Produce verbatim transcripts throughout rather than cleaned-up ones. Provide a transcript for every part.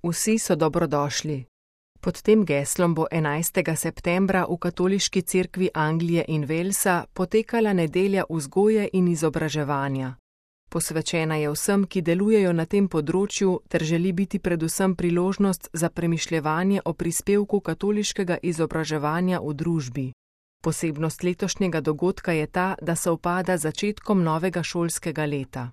Vsi so dobrodošli. Pod tem geslom bo enajstega septembra v Katoliški cerkvi Anglije in Walesa potekala nedelja vzgoje in izobraževanja. Posvečena je vsem, ki delujejo na tem področju, ter želi biti predvsem priložnost za premišljevanje o prispevku katoliškega izobraževanja v družbi. Posebnost letošnjega dogodka je ta, da sovpada z začetkom novega šolskega leta.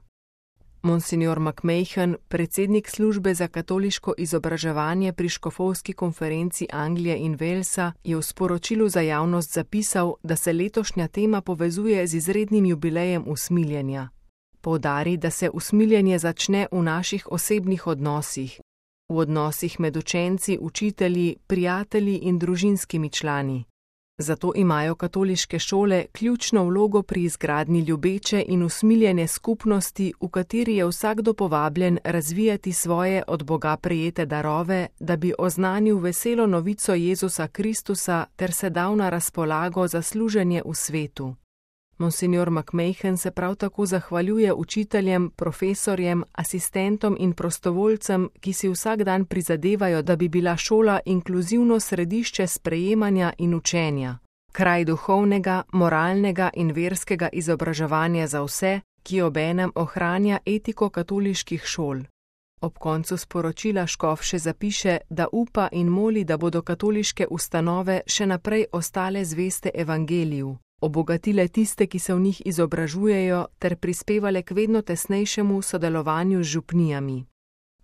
Monsignor McMahon, predsednik službe za katoliško izobraževanje pri Škofovski konferenci Anglije in Walesa, je v sporočilu za javnost zapisal, da se letošnja tema povezuje z izrednim jubilejem usmiljenja. Poudari, da se usmiljenje začne v naših osebnih odnosih, v odnosih med učenci, učitelji, prijatelji in družinskimi člani. Zato imajo katoliške šole ključno vlogo pri izgradnji ljubeče in usmiljene skupnosti, v kateri je vsakdo povabljen razvijati svoje od Boga prejete darove, da bi oznanil veselo novico Jezusa Kristusa ter se dal na razpolago za služenje v svetu. Monsignor McMahon se prav tako zahvaljuje učiteljem, profesorjem, asistentom in prostovoljcem, ki si vsak dan prizadevajo, da bi bila šola inkluzivno središče sprejemanja in učenja, kraj duhovnega, moralnega in verskega izobraževanja za vse, ki obenem ohranja etiko katoliških šol. Ob koncu sporočila škof še zapiše, da upa in moli, da bodo katoliške ustanove še naprej ostale zveste evangeliju, obogatile tiste, ki se v njih izobražujejo, ter prispevale k vedno tesnejšemu sodelovanju z župnijami.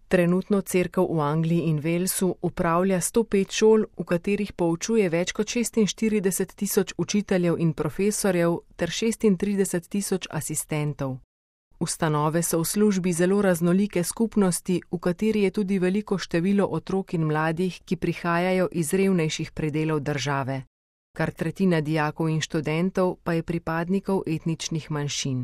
Trenutno cerkev v Angliji in Walesu upravlja sto pet šol, v katerih poučuje več kot šestinštirideset tisoč učiteljev in profesorjev ter šestintrideset tisoč asistentov. Ustanove so v službi zelo raznolike skupnosti, v kateri je tudi veliko število otrok in mladih, ki prihajajo iz revnejših predelov države. Kar tretjina dijakov in študentov pa je pripadnikov etničnih manjšin.